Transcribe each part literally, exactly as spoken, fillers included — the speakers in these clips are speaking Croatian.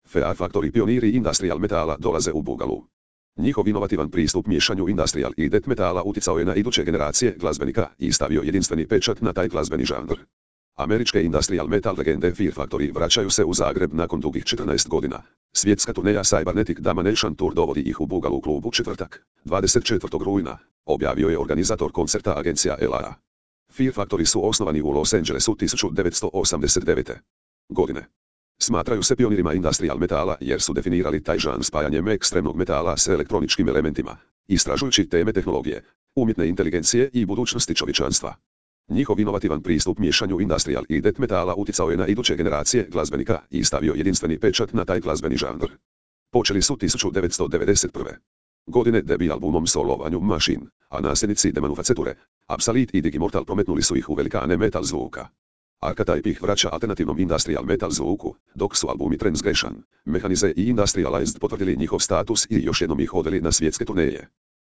Fear Factory pioniri industrial metala dolaze u Bugalu. Njihov inovativan pristup miješanju industrial i death metala utjecao je na iduće generacije glazbenika i stavio jedinstveni pečat na taj glazbeni žanr. Američke industrial metal legende Fear Factory vraćaju se u Zagreb nakon dugih četrnaest godina. Svjetska turneja Cybernetic Damnation Tour dovodi ih u Bugalu klubu četvrtak, dvadeset četvrtog rujna, objavio je organizator koncerta agencija L A. Fear Factory su osnovani u Los Angelesu tisuću devetsto osamdeset devete. godine. Smatraju se pionirima industrial metala jer su definirali taj žanr spajanjem ekstremnog metala s elektroničkim elementima, istražujući teme tehnologije, umjetne inteligencije i budućnosti čovječanstva. Njihov inovativan pristup miješanju industrial i death metala utjecao je na iduće generacije glazbenika i stavio jedinstveni pečat na taj glazbeni žanr. Počeli su tisuću devetsto devedeset prve. godine debut albumom Solovanju Machine, a nasljednici Demanufacture, Absolute i Digimortal prometnuli su ih u velikane metal zvuka. Archetype ih vraća alternativnom industrial metal zvuku, dok su albumi Transgression, Mechanize i Industrialized potvrdili njihov status i još jednom ih odveli na svjetske turneje.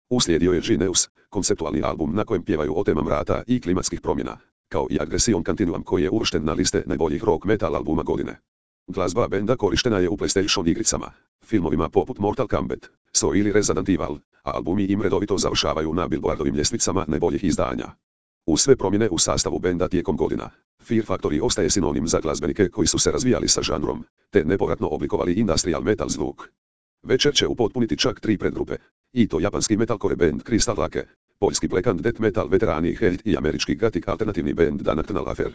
Uslijedio je Genius, konceptualni album na kojem pjevaju o temama rata i klimatskih promjena, kao i Aggression Continuum koji je uvršten na liste najboljih rock metal albuma godine. Glazba benda korištena je u PlayStation igricama, filmovima poput Mortal Kombat, So ili Resident Evil, a albumi im redovito završavaju na Billboardovim ljestvicama najboljih izdanja. Uz sve promjene u sastavu benda tijekom godina, Fear Factory ostaje sinonim za glazbenike koji su se razvijali sa žanrom, te nepovratno oblikovali industrial metal zvuk. Večer će upotpuniti čak tri predgrupe, i to japanski metalcore band Crystal Lake, poljski black and death metal veterani Hate i američki gothic alternativni band The Nocturnal Affair.